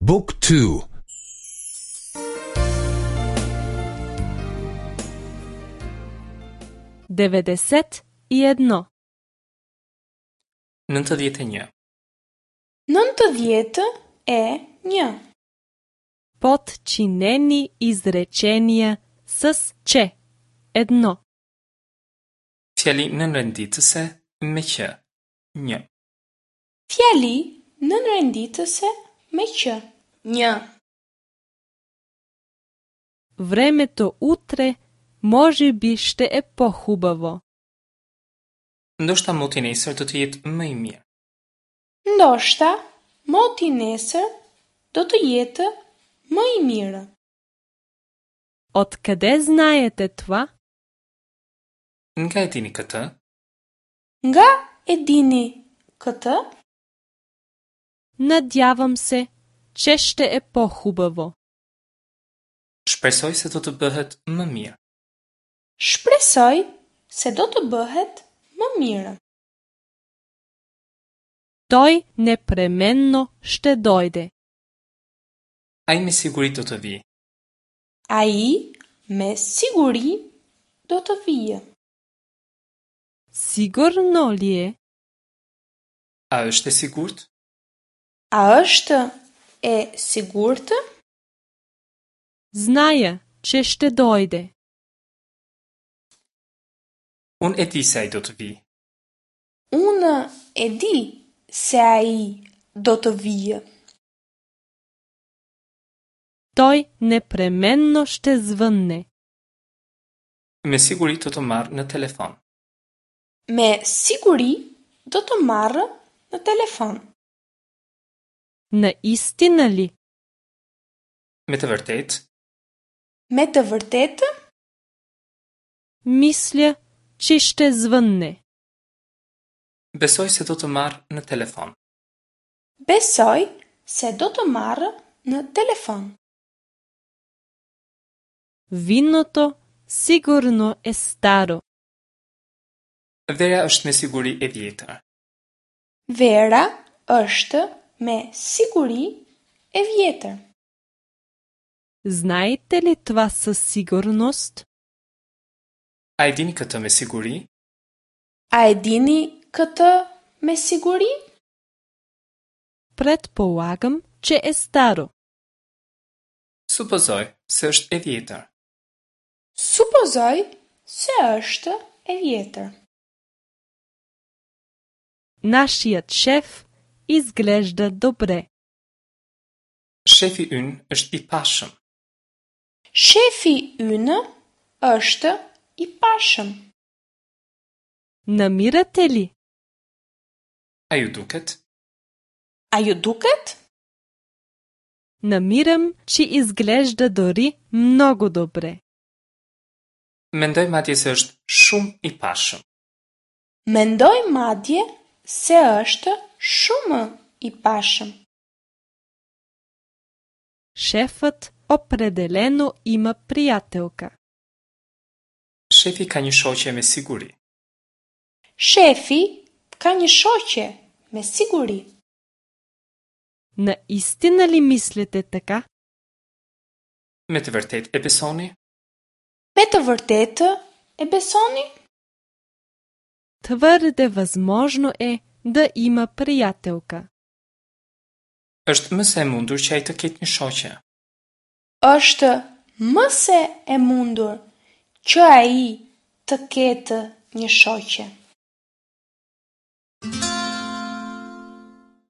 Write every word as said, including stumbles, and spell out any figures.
Book two. Devedeset и едно. Nëntëdhjetë e një. Nëntëdhjetë e një. Подчинени изречения с че. Едно. Fjali nënrenditëse me që. Një. Fjali nënrenditëse me që. Një. Времето утре можеби ще е по-хубаво. Ndoshta moti nesër do të jetë më i mirë. Ndoshta moti nesër do të jetë më i mirë. Откъде знаете това? Nga e dini këtë? Nga e dini këtë? Надявам се, че ще е по-хубаво. Shpresoj se do të bëhet më mirë. Shpresoj se do të bëhet më mirë. Той непременно ще дойде. Ai me siguri do të vijë. Ai me siguri do të vijë. Сигурно ли е? A është e sigurt? A është e sigurt? Зная, че ще дойде. Unë e di se ai do të vijë. Unë e di se ai do të vijë. Той непременно ще звънне. Me siguri do të marrë në telefon. Me siguri do të marrë në telefon. Наистина ли? Me të vërtetë? Me të vërtetë? Мисля, че ще звънне. Besoj se do të marrë në telefon. Besoj se do të marrë në telefon. Виното сигурно е старо. Vera është me siguri e vjetër. Vera është me siguri e vjetër. Знаете ли това със сигурност? A e dini këtë me siguri? A e dini këtë me siguri? Предполагам, че е старо. Supozoj se është e vjetër. Supozoj se është e vjetër. Нашият шеф изглежда добре. Shefi ynë është i pashëm. Shefi ynë është i pashëm. Намирате ли? A ju duket? A ju duket? Намирам, че изглежда дори много добре. Mendoj madje se është shumë i pashëm. Mendoj madje se është shumë i pashëm. Шефът определено има приятелка. Shefi ka një shoqe me siguri. Shefi ka një shoqe me siguri. Наистина ли мислите така? Me të vërtetë e besoni? Me të vërtetë e besoni? Твърде възможно е да има приятелка. Është më se e mundur që ai të ketë një shoqe. Është më se e mundur që ai të ketë një shoqe.